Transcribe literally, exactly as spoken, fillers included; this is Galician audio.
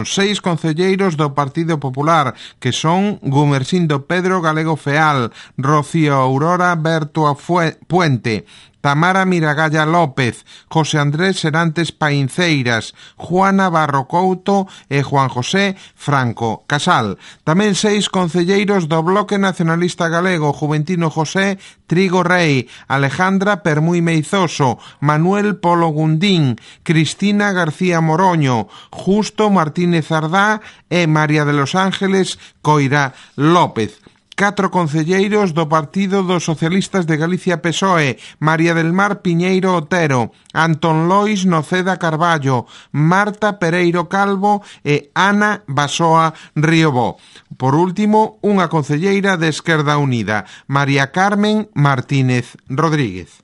Seis concelleiros do Partido Popular, que son Gumersindo Pedro Galego Feal, Rocío Aurora Berto Puente, Tamara Miragalla López, José Andrés Serantes Painceiras, Juana Barro Couto e Juan José Franco Casal. Tamén seis concelleiros do Bloque Nacionalista Galego, Juventino José Trigo Rei, Alejandra Permui Meizoso, Manuel Polo Gundín, Cristina García Moroño, Justo Martínez Ardá e María de los Ángeles Coira López. Catro concelleiros do Partido dos Socialistas de Galicia P S O E, María del Mar Piñeiro Otero, Antón Lois Noceda Carballo, Marta Pereiro Calvo e Ana Basoa Riobó. Por último, unha concelleira de Esquerda Unida, María Carmen Martínez Rodríguez.